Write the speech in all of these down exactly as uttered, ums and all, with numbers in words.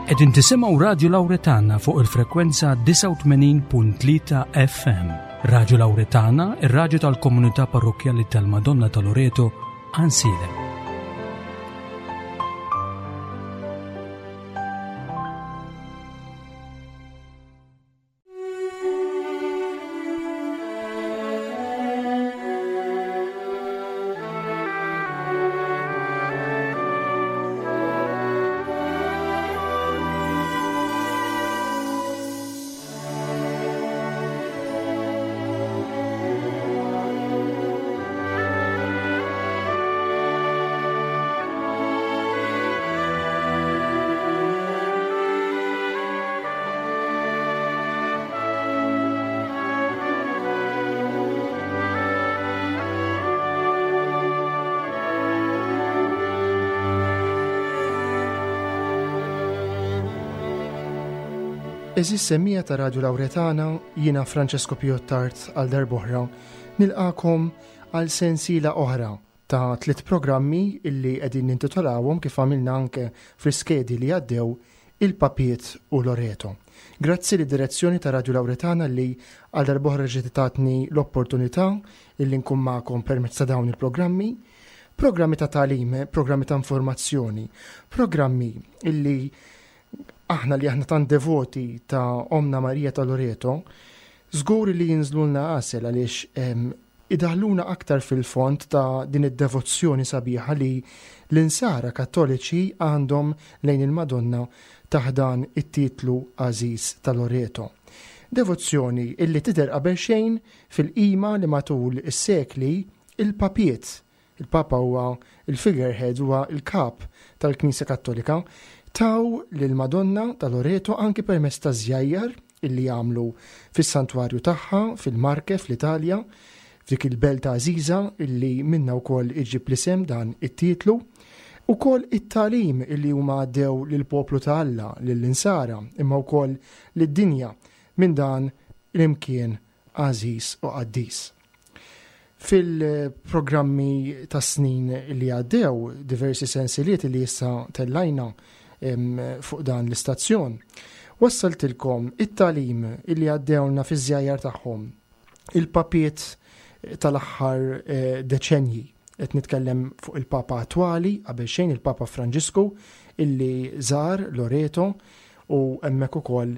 Qegħdin tisimgħu Radju Lawretana fuq il-frekwenza disgħa u tmenin punt tlieta F M. Radju Lawretana, ir-radju tal-Komunità Parrokkjali tal-Madonna ta' Loreto, Għajnsielem. Għeżież semmiegħa ta' Radju Lawretana, jiena Francesco Piottart għal darb'oħra nilqagħkom għal sensiela oħra ta' tliet programmi illi qegħdin nintitolawhom, kif għamilna anke fl-iskedi li għaddew, Il-Papiet u Loreto. Grazzi lid-direzzjoni ta' Radju Lawretana li għal darb'oħra ġiet tatni l-opportunità illi nkun magħkom permezz ta' dawn il-programmi, programmi ta' tagħlim, programmi ta' informazzjoni, programmi illi aħna li aħna tant devoti ta' Omna Marija ta' Loreto, żgur li jinżlulna għasel għaliex idaħluna aktar fil-fond ta' din id-devozzjoni sabiħa li l-insara kattoliċi għandhom lejn il-Madonna taħt dan it-titlu għażiż ta' Loreto. Devozzjoni illi tidher qabel xejn fil-qima li matul is-sekli il-papiet, il-Papa huwa il-figurehead, huwa il-kap tal-Knisja Kattolika, taw lil-Madonna ta' Loreto anki permezz ta' żjajjar illi jagħmlu fis-santwarju tagħha fil-Marke fl-Italja, f'dik il-belt għażiża illi minna wkoll iġib l-isem dan it-titlu, ukoll it-tagħlim illi huma għaddew lill-poplu ta' Alla, lill-insara, imma wkoll lid-dinja minn dan l-imkien għażiż u qaddis. Fil-programmi ta' snin li għaddew, diversi sensiliet li issa tellajna fuq dan l-istazzjon, wassaltilkom it-tagħlim illi għaddewna fi żjajjar tagħhom il-papiet tal-aħħar eh, deċenji. Qed nitkellem fuq il-Papa attwali, qabel xejn il-Papa Franġisku, illi żar Loreto u hemmhekk ukoll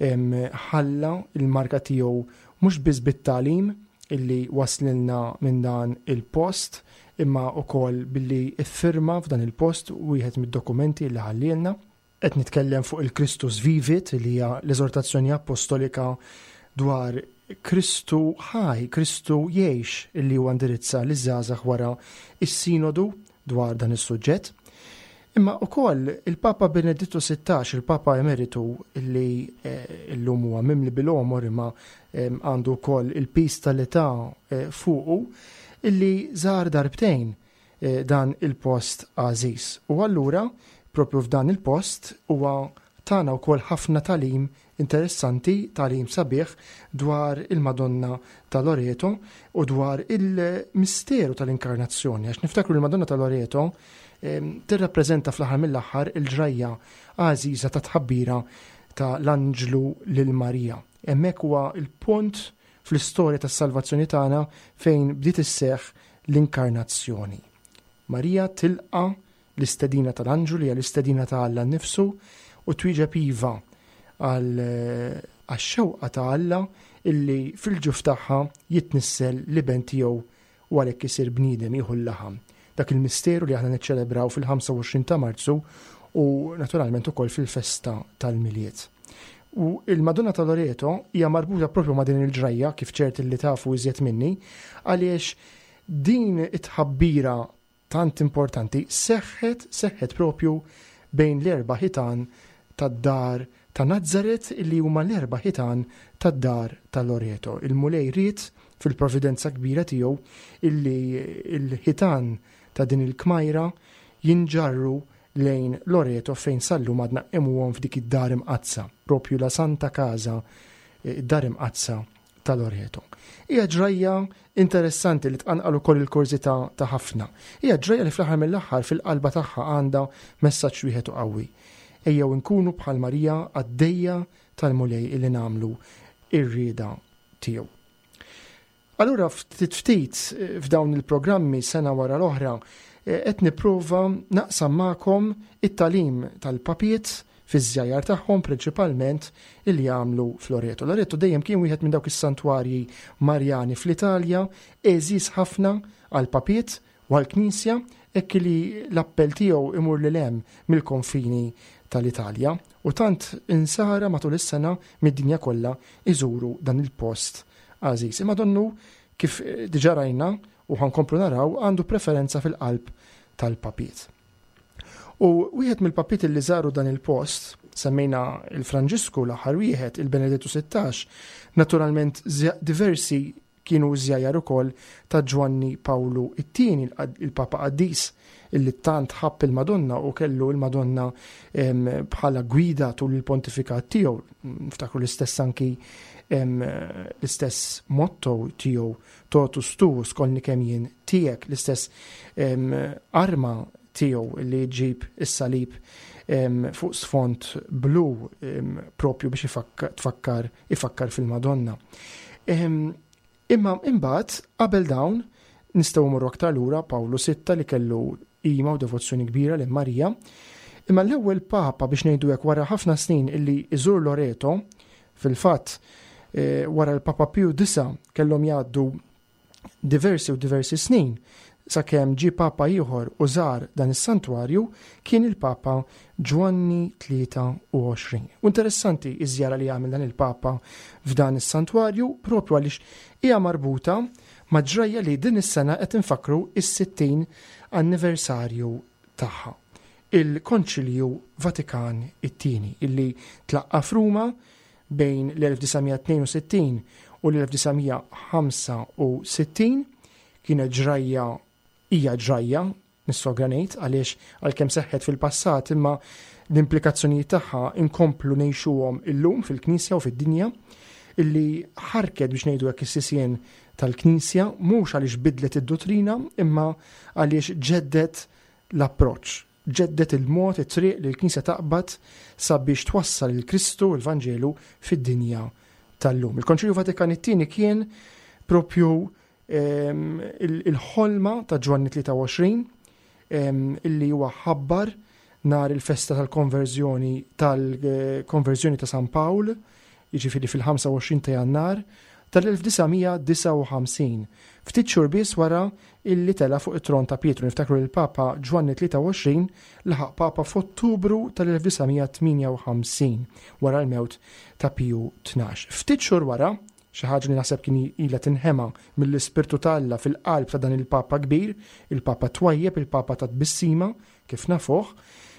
ħalla il-marka tiegħu mhux biss bit-tagħlim illi waslilna minn dan il-post, imma ukoll billi iffirma f'dan il-post wieħed mid-dokumenti li ħallielna. Qed nitkellem fuq il-Christus Vivit, li hija l-eżortazzjoni apostolika dwar Kristu ħaj, Kristu jgħix, illi huwa indirizza liż-żgħażagħ wara is-sinodu dwar dan is-suġġett. Imma ukoll il-Papa Benedittu Sittax, il-Papa Emeritu, illi eh, illum huwa mimli bil-għomor imma għandu wkoll il-piż tal-età eh, fuqu, illi żar darbtejn eh, dan il-post għażiż. U allura, propju f'dan il-post, huwa tana wkoll ħafna tagħlim interessanti, tagħlim sabiħ dwar il-Madonna ta' Loreto u dwar il-misteru tal-inkarnazzjoni. Għax niftakru, il-Madonna ta' Loreto tirrappreżenta fl-aħħar mill-aħħar il-ġrajja għażiża ta' tħabbira ta' l-anġlu lil Marija. Hemmhekk huwa il-punt fl-istorja tas-salvazzjoni tagħna fejn bdiet isseħħ l-inkarnazzjoni. Marija tilqa l-istedina tal-anġlu, li hija l-istedina ta' Alla nnifsu, u twieġeb iva għax-xewqa ta' Alla illi fil-ġuf tagħha jitnissel l-iben tiegħu u għalhekk isir bniedem, jieħu l-laħam. Dak il-misteru li aħna niċċelebraw fil-ħamsa u għoxrin ta' Marzu u naturalment ukoll fil-festa tal-Milied. U il-Madonna ta' Loreto hija marbuta propju ma' din il-ġrajja, kif ċert li tafu iżjed minni, għaliex din it-tħabbira tant importanti seħħet seħħet propju bejn l-erba' ħitan tad-dar ta' Nazzaret, illi huma l-erba' ħitan tad-dar ta' Loreto. Il-Mulej ried fil-providenza kbira tiegħu illi il-ħitan ta' din il-kmajra jinġarru lejn Loreto, fejn sal-lum għadna nqimuhom f'dik id-dar imqaddsa, propju la Santa Casa, id-dar imqaddsa ta' Loreto. Hija ġrajja interessanti li tqanqal ukoll il-kurżità ta' ħafna. Hija ġrajja li fl-aħħar mill-aħħar fil-qalba tagħha għandha messaġġ wieħed u qawwi. Ejjew inkunu bħal Marija, qaddejja tal-Mulej illi nagħmlu ir-rieda tiegħu. Allura ftit ftit f'dawn il-programmi, sena wara l-oħra, qed nipprova naqsam magħkom it-tagħlim tal-papiet fiż-żjajjar tagħhom, prinċipalment illi jagħmlu f'Loreto. Loreto dejjem kien wieħed minn dawk is-santwarji Marjani fl-Italja għeżież ħafna għal papiet u għall-Knisja, hekk li l-appell tiegħu imur lil hemm mill-konfini tal-Italja u tant insara matul is-sena mid-dinja kollha iżuru dan il-post għażiż. Imma donnu, kif diġà rajna u ħa nkomplu naraw, għandu preferenza fil-qalb tal-papiet. U wieħed mill-papiet li żaru dan il-post, semmejna il-Franġisku l-aħħar wieħed, il-Benedettu Sittax, naturalment diversi kienu żjajjar ukoll ta' Ġwanni Pawlu it-tieni, il-Papa Qaddis, illi tant ħabb il-Madonna u kellu il-Madonna bħala gwida tul il-pontifikat tiegħu. Niftakru l-istess anki l-istess motto tiegħu, "Totus tuus", kollni kemm jien tiegħek, l-istess arma tiegħu li ġib is-salib fuq sfond blu, propju biex tfakkar ifakkar fil-Madonna. Imma imbagħad qabel dawn nistgħu mmorru aktar lura, Pawlu Sitta, li kellu qima u devozzjoni kbira lil Marija. Imma l-ewwel papa, biex ngħidu hekk, wara ħafna snin illi iżur Loreto, fil-fatt eh, wara l-Papa Piju Disa kellhom jgħaddu diversi u diversi snin sakemm ġie papa ieħor u żar dan is-santwarju, kien il-Papa Ġwanni tlieta u għoxrin. U interessanti iż-żjara li għamel dan il-Papa f'dan is-santwarju, propju għaliex hija marbuta ma' ġrajja li din is-sena qed infakru is-sittin anniversarju tagħha. Il-Konċilju Vatikan it-tieni illi tlaqqa f'Ruma bejn l-elf disa' mija tnejn u sittin u l-elf disa' mija ħamsa u sittin. Kienet ġrajja, hija ġrajja, nissogra ngħid, għaliex għalkemm seħħet fil-passat, imma l-implikazzjonijiet tagħha inkomplu ngħixuhom illum fil-Knisja u fid-dinja, illi ħarket, biex ngħidu hekk, is-sisien tal-Knisja, mhux għaliex bidlet id-dottrina imma għaliex ġeddet l-approċċ, ġeddet il-mod, it-triq li l-Knisja taqbad sabiex twassal il-Kristu, il-Vanġelu, fid-dinja tal-lum. Il-Konċilju Vatikan it-tieni kien propju il-ħolma ta' Ġwanni tlieta u għoxrin illi huwa ħabbar nhar il-festa tal-konverżjoni tal-konverżjoni ta' San Pawl, jiġifieri fil-ħamsa u għoxrin ta' Jannar tal-elf disa' mija disgħa u ħamsin. Ftit xhur biss wara illi tela fuq it-tron ta' Pietru. Niftakru li l-Papa Ġwanni tlieta u għoxrin laħaq Papa f'Ottubru tal-elf disa' mija tmienja u ħamsin wara l-mewt ta' Piju Tnax. Ftit xhur wara, xi ħaġa li naħseb kien ilha tinħema mill-Ispirtu ta' Alla fil-qalb ta' dan il-Papa kbir, il-Papa twajjeb, il-Papa ta' tbissima, kif nafuh,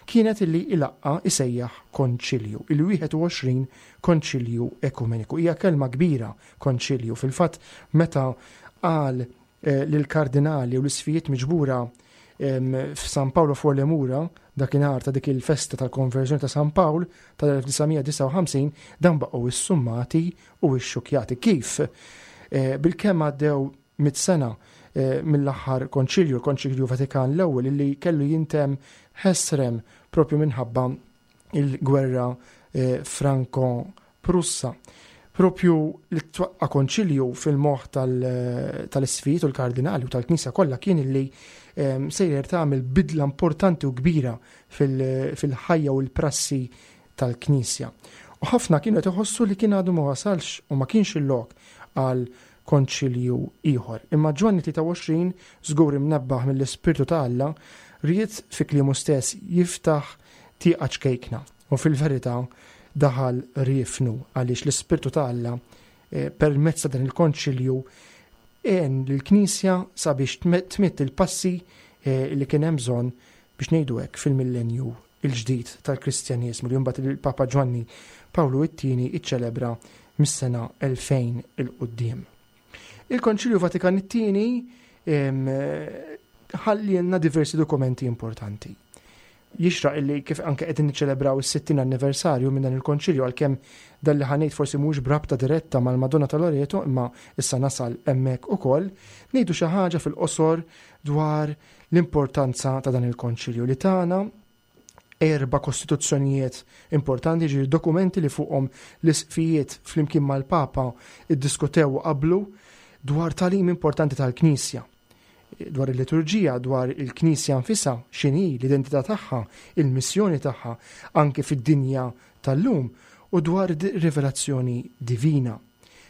kienet illi ilaqqa isejjaħ konċilju, il-wieħed u għoxrin konċilju ekumeniku. Hija kelma kbira, konċilju. Fil-fatt, meta qal eh, lill-kardinali u l-isqfijiet miġbura f'San Paolo fuori le Mura dakinhar ta' dik il-festa tal-konverżjoni ta' San Pawl tal-elf disa' mija disgħa u ħamsin, dan baqgħu issummati u xxukjati. Kif? Eh, bil-kemm għaddew mit sena eh, mill-aħħar konċilju, il-Konċilju Vatikan l-ewwel, illi kellu jintemm ħesrem propju minħabba il-gwerra eh, Franko-Prussa. Propju li twaqqa konċilju fil-moħ tal-isqfijiet u l-kardinali u tal-Knisja kollha kien illi sejjer tagħmel bidla importanti u kbira fil-ħajja u l-prassi tal-Knisja. U ħafna kienu qed iħossu li kien għadu ma wasalx u ma kienx il-lok għal konċilju ieħor. Imma Ġwanni tlieta u għoxrin, żgur imnebbaħ mill-Ispirtu ta' Alla, ried, fi kliemu stess, jiftaħ tieqa ċkejkna. U fil-verità daħal riefnu, għaliex l-Ispirtu ta' Alla eh, permezz ta' dan il-konċilju għen l-Knisja sabiex tmidd il-passi eh, li kien hemm bżonn, biex ngħidu hekk, fil-millenju il-ġdid tal-Kristjaniżmu li mbagħad il-Papa Ġwanni Pawlu it-tieni iċċelebra mis-sena elfejn 'il quddiem. Il-Konċilju Vatikan it-tieni ħallielna diversi dokumenti importanti. Jixraq illi, kif anke qegħdin niċċelebraw is-sittin anniversarju minn dan il-konċilju, għalkemm dan li ħa ngħid forsi mhux b'rabta diretta mal-Madonna ta' Loreto, imma issa nasal hemmhekk ukoll, ngħidu xi ħaġa fil-qosor dwar l-importanza ta' dan il-konċilju li tagħna Erba' kostituzzjonijiet importanti, ġiri dokumenti li fuqhom l-isqfijiet flimkien mal-Papa iddiskutew u qablu dwar tagħlim importanti tal-Knisja, dwar il-liturġija, dwar il-Knisja nfisha, x'inhi l-identità tagħha, il-missjoni tagħha anke fid-dinja tal-lum u dwar rivelazzjoni divina.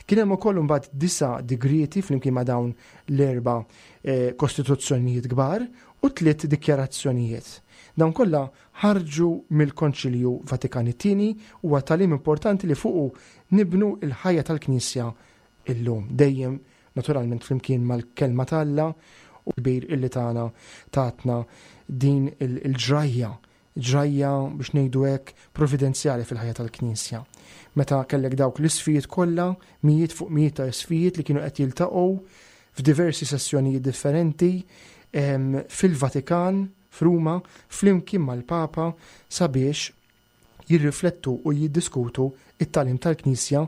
Kien hemm ukoll imbagħad disa' digrieti flimkien ma' dawn l-erba' eh, kostituzzjonijiet kbar u tliet dikjarazzjonijiet. Dawn kollha ħarġu mill-Konċilju Vatikan it-Tieni u huwa tagħlim importanti li fuqu nibnu l-ħajja tal-Knisja illum. Dejjem naturalment flimkien mal-kelma t'Alla u kbir illi tagħna tatna din il-ġrajja, ġrajja biex ngħidu hekk providenzjali fil-ħajja tal-Knisja. Meta kellek dawk l-isqfijiet kollha, mijiet fuq mijiet ta' isqfijiet li kienu qed jiltaqgħu f'diversi sessjonijiet differenti fil-Vatikan, f'Ruma, flimkien mal-Papa sabiex jirriflettu u jiddiskutu it-tagħlim tal-Knisja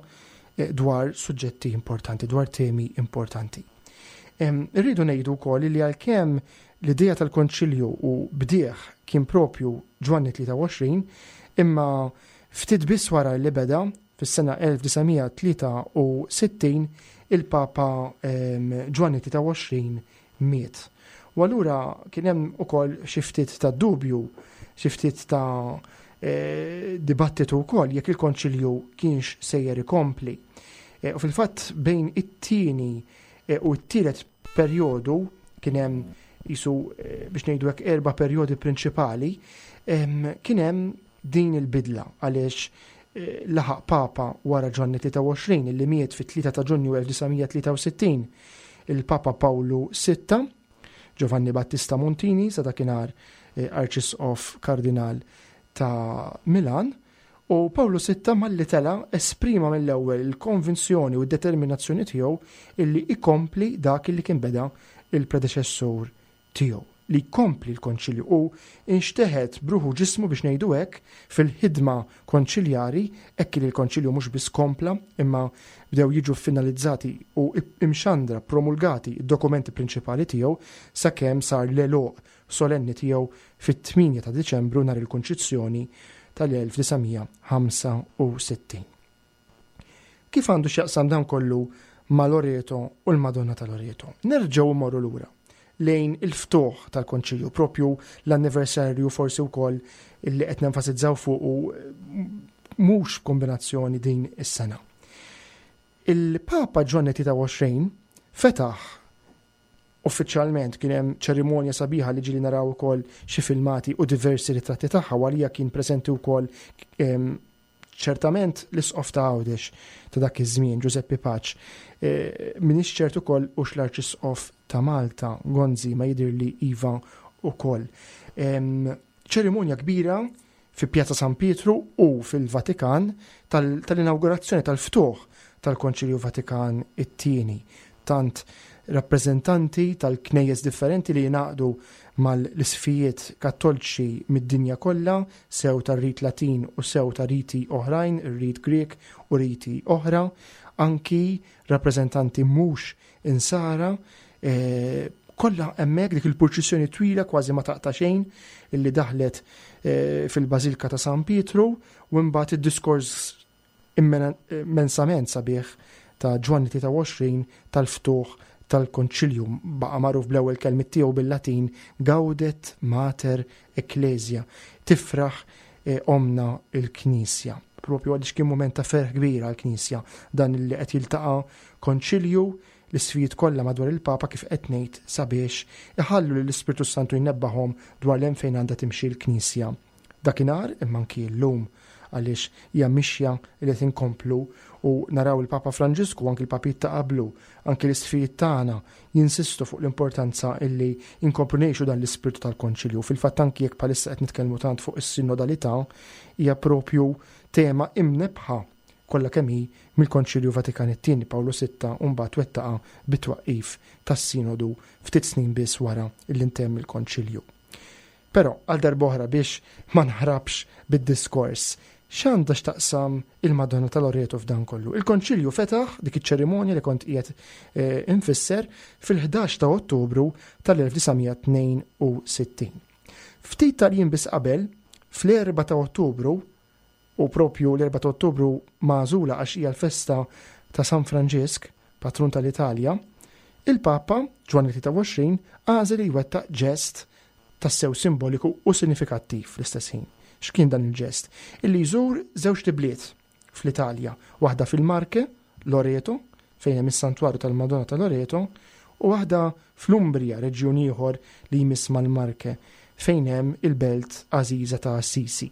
dwar suġġetti importanti, dwar temi importanti. Irridu ngħidu wkoll li għalkemm l-idea tal-Konċilju u bdieħ kien propju Ġwanni tlieta u għoxrin, imma ftit biss wara li beda fis-sena elf disa' mija tlieta u sittin il-Papa Ġwanni tlieta u għoxrin miet. U allura kien hemm ukoll xi ftit ta' dubju, xi ftit ta' eh, dibattitu wkoll jekk il-Konċilju kienx sejjer ikompli. Eh, u fil-fatt bejn it-tieni, eh, u t-tielet perjodu kien hemm jisu, eh, biex ngħidu hekk erba' perjodi prinċipali, em, kien hemm din il-bidla għaliex, eh, laħaq Papa wara Ġwanni tlieta u għoxrin illi miet fit-tlieta ta' Ġunju elf disa' mija tlieta u sittin, il-Papa Pawlu sitta, Giovanni Battista Montini, sa dakinhar, eh, Arċisqof Kardinal ta' Milan, u Pawlu sitta malli tela esprima mill-ewwel il-konvinzjoni u d-determinazzjoni tiegħu illi ikompli dak illi kien beda il-predeċessur tiegħu, li jkompli l-konċilju u inxteħet bruħu ġismu biex ngħidu hekk fil-ħidma konċiljari, hekk li l-konċilju mhux biss kompla imma bdew jiġu finalizzati u imxandra promulgati d-dokumenti prinċipali tiegħu sakemm sar l-għeluq solenni tiegħu fit-tmienja ta' Diċembru nhar il-Kunċizzjoni tal-elf disa' mija ħamsa u sittin. Kif għandu x'jaqsam dan kollu ma' Loreto u l-Madonna ta' Loreto? Nerġgħu mmorru lura lejn il-ftuħ tal-Konċilju, propju l-anniversarju forsi wkoll illi qed nenfasizzaw fuq u mhux kombinazzjoni din is-sena. Il-Papa Ġwanni tlieta u għoxrin fetaħ uffiċjalment, kien hemm ċerimonja sabiħa li ġieli naraw ukoll xi filmati u diversi ritratti tagħha, u għalija kien preżenti wkoll, ehm, ċertament l-Isqof ta' Għawdex ta' dak iż-żmien, Giuseppe Pace. Eh, minix ċert ukoll hux l-Arċisqof ta' Malta, Gonzi, ma jidhir li iva ukoll. Ehm, ċerimonja kbira fi Pjazza San Pietru u fil-Vatikan tal-, tal-inaugurazzjoni tal-ftuħ tal-Konċilju Vatikan it-tieni. Tant rappreżentanti tal-knejjes differenti li jingħaqdu mal-isqfijiet kattoliċi mid-dinja kollha, sew tar-rit Latin u sew ta' riti oħrajn, ir-rit Grek u riti oħra, anki rappreżentanti mhux insara, eh, kollha hemmhekk dik il-purċissjoni twila kważi ma taqta' xejn illi daħlet, eh, fil-Bażilka ta' San Pietru, u mbagħad id-diskors immena-, immensament sabiħ ta' Ġwanni tlieta u għoxrin tal-ftuħ tal-Konċilju, baqa' magħruf bl-ewwel kelmiet tiegħu bil-Latin Gaudet Mater Ecclesia, tifraħ, eh, omna il-Knisja. Propju għaliex kien mument ta' ferħ kbir għall-Knisja dan li qed jiltaqa' konċilju l-isqfijiet kollha madwar il-Papa kif qed ngħid sabiex iħallu lill-Ispirtu Santu jnebbaħhom dwar l-hemm fejn għandha timxi l-Knisja. Dakinhar imma anki llum, għaliex hija mixja li qed inkomplu u naraw il-Papa Franġisku, anki l-papijiet ta' qablu, anki l-isqfijiet tagħna jinsistu fuq l-importanza illi inkomplu ngħixu dan l-ispirtu tal-Konċilju. Fil-fatt anki jekk bħalissa qed nitkellmu tant fuq is-sinodalità, hija propju tema imnebħa kollha kemm hi mill-Konċilju Vatikan it-tieni Pawlu sitta u mbagħad wettaqa bit-twaqqif tas-sinodu ftit snin biss wara li ntemm il-Konċilju. Però għal darb'oħra biex ma nħrabx bid-diskors, x'għandha x'taqsam il-Madonna ta' Loreto f'dan kollu? Il-Konċilju fetaħ dik iċ-ċerimonja li kont qiegħed, eh, infisser fil-ħdax ta' Ottubru tal-elf disa' mija tnejn u sittin. Ftit tal-jiem biss qabel, Fl-erbgħa ta' Ottubru, u propju l-erbgħa ta' Ottubru magħżula għax hija l-festa ta' San Franġisk, patrun tal-Italja, il-Papa Ġwanni tlieta u għoxrin għażel li jwettaq ġest tassew simboliku u sinifikattiv fl-istess ħin. X'kien dan il-ġest? Illi jżur żewġt ibliet fl-Italja, waħda fil-Marche, Loreto, fejn hemm is-Santwarju tal-Madonna ta' Loreto, u waħda fl-Umbria, reġjun ieħor li jmiss mal-Marche, fejn hemm il-belt għażiża ta' Assisi,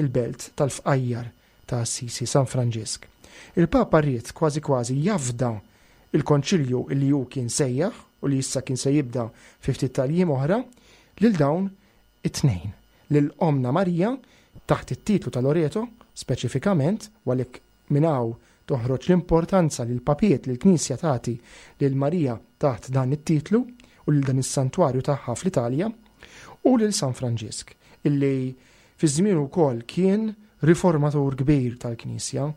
il-belt tal-fqajjar ta' Assisi, San Franġisk. Il-Papa ried kważi kważi jafda il-konċilju li hu kien sejjaħ u li issa kien se jibda fi ftit tal-jiem oħra lil dawn it-tnejn. Lil Omna Marija taħt it-titlu ta' Loreto, speċifikament, u għalhekk minn hawn toħroġ l-importanza li l-papiet li l-Knisja tagħti lil Marija taħt dan it-titlu u lil dan is-santwarju tagħha fl-Italja, u lil San Franġisk, illi fi żmien ukoll kien riformatur kbir tal-Knisja,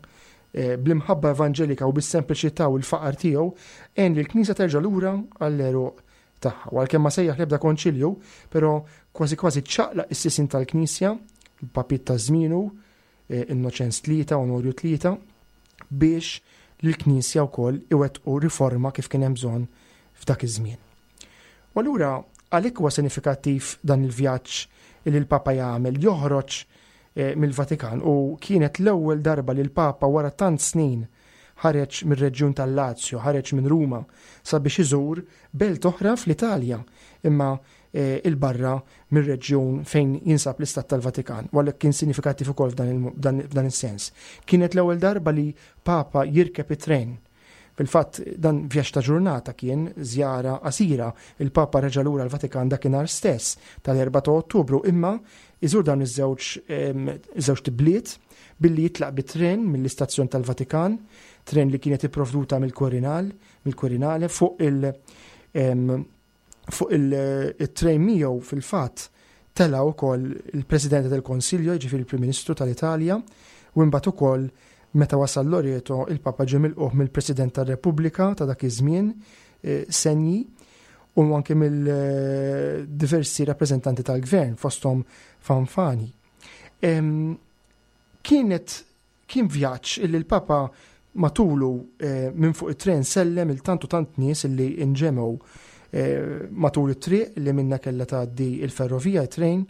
eh, bl-imħabba evanġelika u bis-sempliċità u l-faqar tiegħu għen li l-Knisja terġa' lura għall-għeruq tagħha. U għalkemm ma sejjaħ l-ebda konċilju, però kważi kważi ċaqlaq is-sisin tal-Knisja, il-papiet ta' żmienu, eh, Innoċenz tlieta, Onorju tlieta, biex l-Knisja wkoll iwettqu riforma kif kien hemm bżonn f'dak iż-żmien. U allura għalhekk huwa sinifikattiv dan il-vjaġġ li l-Papa jagħmel, joħroġ eh, mill-Vatikan, u kienet l-ewwel darba li l-Papa wara tant snin ħareġ mir-reġjun tal-Lazio, ħareġ minn Ruma sabiex iżur belt oħra fl-Italja, imma eh, il-barra mir-reġjun fejn jinsab l-Istat tal-Vatikan. U għalhekk kien sinifikattiv ukoll f'dan is-sens. Kienet l-ewwel darba li Papa jirkeb it-tren. Fil-fatt dan vjaġġ ta' ġurnata kien żjara qasira. Il-Papa reġa' lura l-Vatikan dakinhar stess tal-erbgħa ta' Ottubru, imma iżur dawn iż-żewġ żewġ bliet billi jitlaq bit-tren mill-istazzjon tal-Vatikan, tren li kienet ipprovduta mill-Quirinal, mill-Quirinale fuq il- fuq il-tren miegħu fil-fatt tela' wkoll il-President del Consiglio, jiġifieri il-Prim Ministru tal-Italja, u imbagħad ukoll meta wasal Loreto il-Papa ġie milqugħ mill-President tar-Repubblika ta' dak iż-żmien, eh, Segni, u anke mill-diversi rappreżentanti tal-gvern fosthom Fanfani. Kienet kien vjaġġ illi l-Papa matulu eh, minn fuq it-tren sellem lil tant u tant nies illi inġemgħu eh, matul it-triq li minna kella tgħaddi il-ferrovija it-tren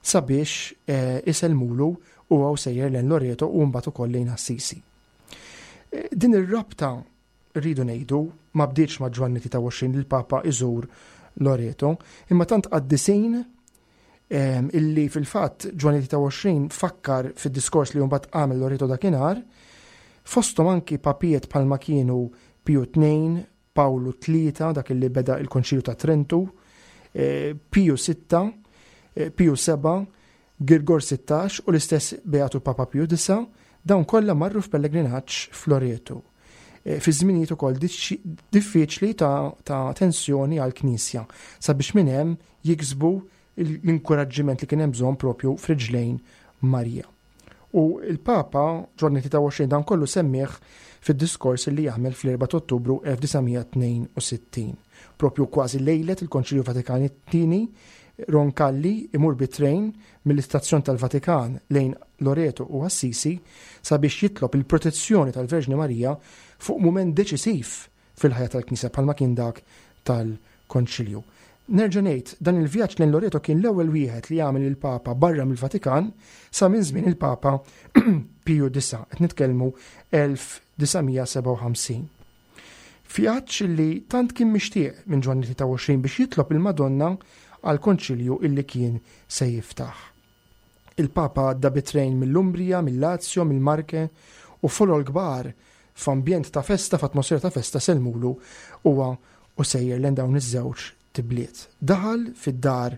sabiex eh, isellmulu u għaw sejjer lejn Loreto u mbagħad ukoll lejn Assisi. Din ir-rabta, rridu ngħidu, ma bdietx ma' Ġwanni tlieta u għoxrin li l-Papa iżur Loreto, imma tant qaddisin illi fil-fatt Ġwanni tlieta u għoxrin fakkar fid-diskors li mbagħad għamel Loreto dakinhar, fosthom anki papiet bħalma kienu Piju tnejn, Pawlu tlieta, dak li beda il-Konċilju ta' Trentu, eh, Piju sitta, eh, Piju seba', Girgor sittax u l-istess Beatu Papa Piju disgħa, dawn kollha marru f'pellegrinaġġ f'Loreto. Eh, fi żminijiet ukoll diffiċli ta', ta tensjoni għall-Knisja sabiex minn hemm jiksbu l-inkoraġġiment li kien hemm bżonn propju f'riġlejn Marija. U il-Papa Ġwanni tlieta u għoxrin dan kollu semmih fid-diskors li jagħmel fl-erbgħa ta' Ottubru elf disa' mija tnejn u sittin. Propju kważi lejlet il-Konċilju Vatikan it-tieni, Roncalli imur bit-trejn mill-istazzjon tal-Vatikan lejn Loreto u Assisi sabiex jitlob il-protezzjoni tal-Verġni Marija fuq mument deċisiv fil-ħajja tal-Knisja bħalma kien dak tal-Konċilju. Nerġa' ngħid, dan il-vjaġġ lejn Loreto kien l-ewwel wieħed li jagħmel il-Papa barra mill-Vatikan sa minn żmien il-Papa Piju disgħa, qed nitkellmu elf disa' mija sebgħa u ħamsin. Vjaġġ li tant kien mixtieq minn Ġwanni tlieta u għoxrin biex jitlob il-Madonna għal konċilju illi kien se jiftaħ. Il-Papa għadda bit-trejn mill-Umbria, mill-Lazio, mill-Marche u folol kbar f'ambjent ta' festa, f'atmosfera ta' festa sellmulu huwa u sejjer lejn dawn iż-żewġ tibliet. Daħal fid-dar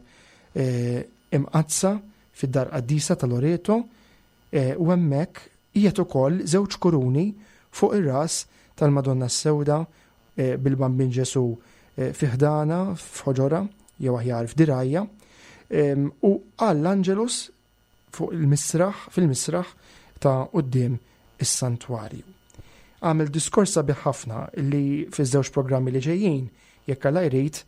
eh, imqaddsa, fid-dar qaddisa ta' Loreto, eh, u hemmhekk qiegħed ukoll żewġ kuruni fuq ir-ras tal-Madonna s-Sewda eh, bil-Bambin Ġesu fi ħdana, f'ħoġorha, jew aħjar f'dirgħajha, u għall-Angelus fuq il-misraħ, fil-misraħ ta' quddiem is-santwarju. Għamel diskors sabiħ ħafna li fiż-żewġ programmi li ġejjin, jekk Alla jrid,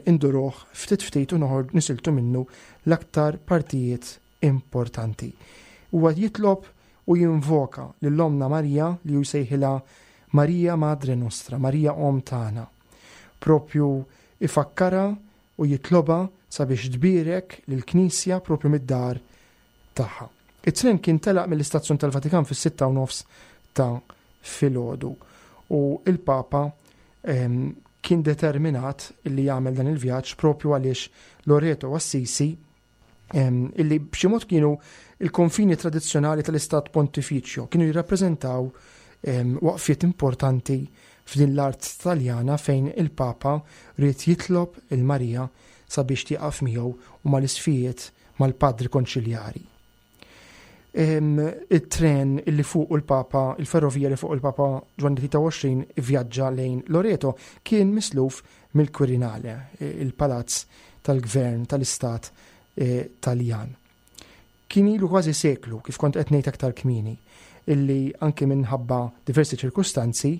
induruh ftit ftit u noħor nisiltu minnu l-aktar partijiet importanti. Huwa jitlob u jinvoka lil Ommna Marija li hu jsejħilha Marija Madre Nostra, Marija Omm tagħna. Propju ifakkarha u jitloba sabiex tbierek lill-Knisja propju mid-dar tagħha. It-tren kien telaq mill-istazzjon tal-Vatikan fis-sitta u nofs ta' filgħodu u il-Papa ehm, kien determinat illi jagħmel dan il-vjaġġ propju għaliex Loreto u Assisi ehm, illi b'xi mod kienu il-konfini tradizzjonali tal-Istat Pontifiċjo, kienu jirrappreżentaw ehm, waqfiet importanti f'din l-art Taljana fejn il-Papa ried jitlob il-Marija sabiex tieqaf miegħu u mal-isqfijiet, mal-padri konċiljari. Il-tren illi fuq il-Papa, il-ferrovija li fuq il-Papa Ġwanni tlieta u għoxrin vjaġġa lejn Loreto kien misluf mill-Quirinale, il-palazz tal-gvern tal-istat eh, Taljan. Kien ilu kważi seklu, kif kont qed ngħid aktar kmieni, illi anke minħabba diversi ċirkustanzi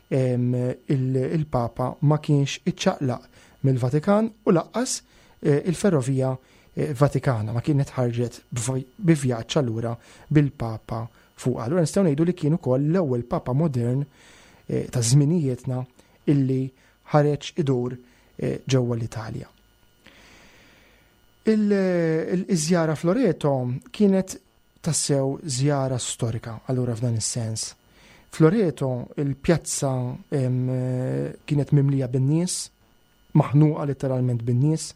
il-Papa ma kienx iċċaqlaq mill-Vatikan u lanqas eh, il-ferrovija eh, Vatikana ma kienet ħarġet bi vjaġġ allura bil-Papa fuq. Allura nistgħu ngħidu li kien ukoll l-ewwel Papa modern eh, ta' żminijietna illi ħareġ idur ġewwa l-Italja. Il-żjara f'Loreto kienet tassew żjara storika allura f'dan is-sens. F'Loreto il-pjazza kienet mimlija bin-nies, maħnuqa letteralment bin-nies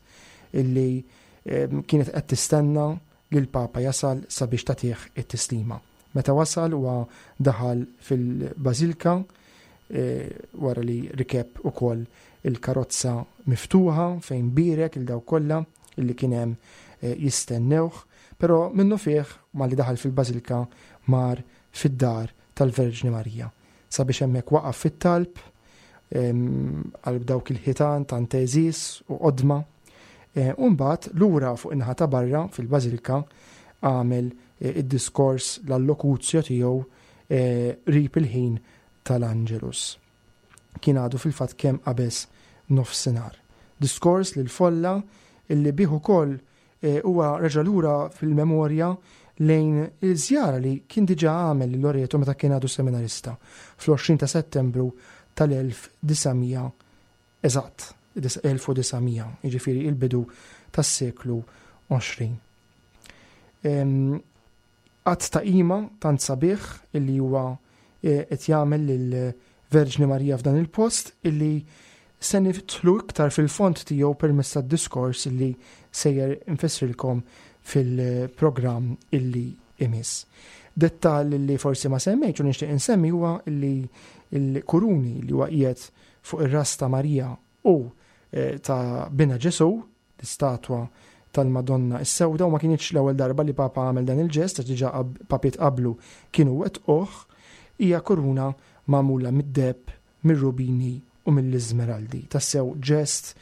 illi kienet qed tistenna li l-Papa jasal sabiex tagħtih it-tislima. Meta wasal, huwa daħal fil-Bażilka e, wara li rikeb ukoll il-karozza miftuħa fejn bierek lil dawk kollha illi kien hemm e, jistennewh, però minnufih malli daħal fil-Bażilka mar fid-dar tal-Verġni Marija sabiex hemmhekk waqaf fit-talb għal dawk il-ħitan tant għeżież u qodma. E, u mbagħad lura fuq in-naħa ta' barra fil-Bażilka għamel e, id-diskors, l-allokuzio tiegħu e, qrib il-ħin tal-Angelus. Kien għadu fil-fatt kemm qabeż nofsinhar. Diskors lil folla illi bih ukoll huwa reġa' lura fil-memorja lejn il-żjara li kien diġà għamel lil Loreto meta kien għadu seminarista fl-għoxrin ta' Settembru tal-elf disa' mija, eżatt, elf u disa' mija, jiġifieri il-bidu tas-seklu għoxrin. Att ta' qima tant sabiħ illi huwa e, qed jagħmel lill-Verġni Marija f'dan il-post illi se nidħlu iktar fil-fond tiegħu permezz tad-diskors illi sejjer infissrilkom fil-programm illi imiss. Dettal li forsi ma semmejtx u nixtieq insemmi huwa illi il-kuruni li huwa qiegħed fuq ir-ras ta' Marija u eh, ta' Binha Ġesu, l-istatwa tal-Madonna is-Sewda, u ma kienx l-ewwel darba li Papa għamel dan il-ġest, għax diġà papiet qablu kienu wettquh, hija kuruna magħmula mid-deheb, mir-rubini u mill-iżmeraldi. Tassew ġest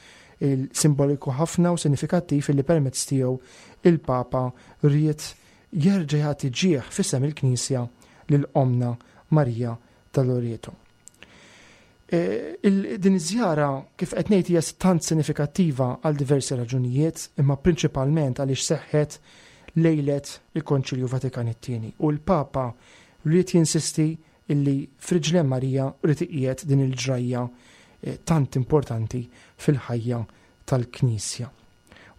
simboliku ħafna u sinifikattiv li permezz tiegħu il-Papa ried jerġa' jagħti ġieħ f'isem il-Knisja lil Omna Marija tal-Loreto. E, din iż-żjara, kif qed ngħid, hija tant sinifikattiva għal diversi raġunijiet, imma prinċipalment għaliex seħħet lejlet il-Konċilju Vatikan it-Tieni u l-Papa ried jinsisti illi f'riġlejn Marija ried iqiegħed din il-ġrajja e, tant importanti fil-ħajja tal-Knisja.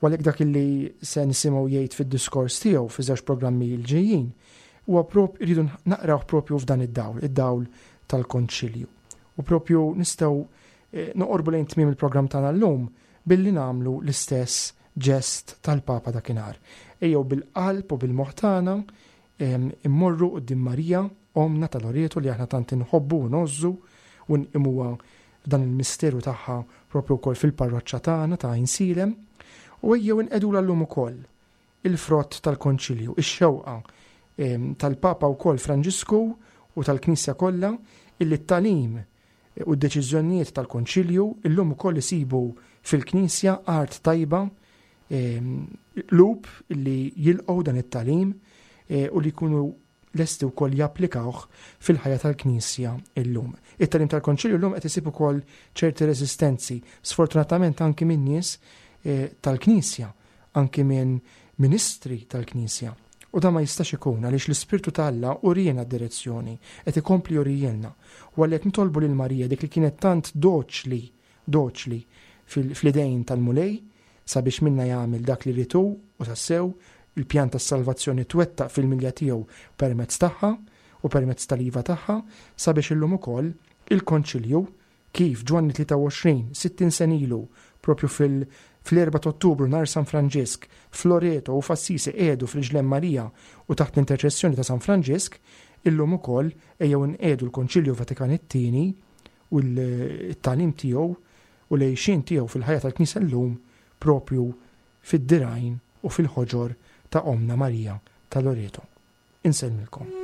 U għalhekk dak illi se nisimgħu jgħid fid-diskors tiegħu fi żewġ programmi l-ġejjin huwa prop rridu naqraw propju f'dan id-dawl, id-dawl tal-Konċilju. U propju nistgħu eh, noqorbu lejn tmiem il-programm tagħna llum billi nagħmlu l-istess ġest tal-Papa dakinhar. Ejjew bil-qalb u bil-moħħ tagħna immorru quddiem Marija, Omna ta' Loreto li aħna tant inħobbu u ngħożżu u nqimuha f'dan il-misteru tagħha propju wkoll fil-parroċċa tagħna ta' Għajnsielem. U ejjew inqegħdu llum ukoll il-frott tal-Konċilju, ix-xewqa tal-Papa wkoll Franġisku u tal-Knisja kollha illi t-tagħlim u d-deċiżjonijiet tal-Konċilju illum ukoll isibu fil-Knisja art tajba, qlub illi jilqgħu dan it-tagħlim e, u li jkunu lesti wkoll japplikawh fil-ħajja tal-Knisja illum. It-tagħlim tal-Konċilju llum qed isib ukoll ċerti resistenzi, sfortunatament anki minn nies e, tal-Knisja, anki minn ministri tal-Knisja. U da ma jistax ikun għaliex l-Ispirtu ta' Alla uriena d-direzzjoni, qed ikompli jurielna. U għalhekk nitolbu lil Marija dik li kienet tant doċli, doċli fl-idejn tal-Mulej sabiex minna jagħmel dak li ritu u tassew il-pjan tas-salvazzjoni twettaq fil-milja tiegħu permezz tagħha u permezz tal-iva tagħha sabiex illum ukoll il-Konċilju kif Ġwanni tlieta u għoxrin, sittin sena ilu, propju fil- fl-erba' ta' Ottubru nhar San Franġisk, f'Loreto u f'Assisi qiegħdu f'riġlejn Marija u taħt l-interċessjoni ta' San Franġisk, illum ukoll ejjew nqiegħdu l-Konċilju Vatikan it-tieni u l-tagħlim tiegħu u l-għixien tiegħu fil-ħajja tal-Knisja llum propju fid-dirgħajn u fil-ħoġor ta' Omna Marija ta' Loreto. Insellmilkom.